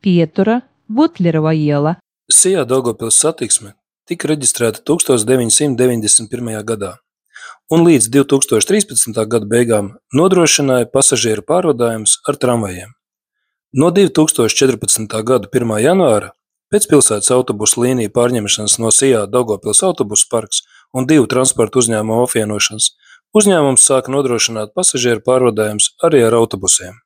Pietura, Butlerova iela. Sijā Daugavpils satiksme tika reģistrēta 1991. gadā un līdz 2013. gada beigām nodrošināja pasažieru pārvadājumus ar tramvajiem. No 2014. gada 1. janvāra pēc pilsētas autobusu līniju pārņemšanas no Sijā Daugavpils autobusu parks un 2 transporta uzņēmumu apvienošanas uzņēmums sāka nodrošināt pasažieru pārvadājumus arī ar autobusiem.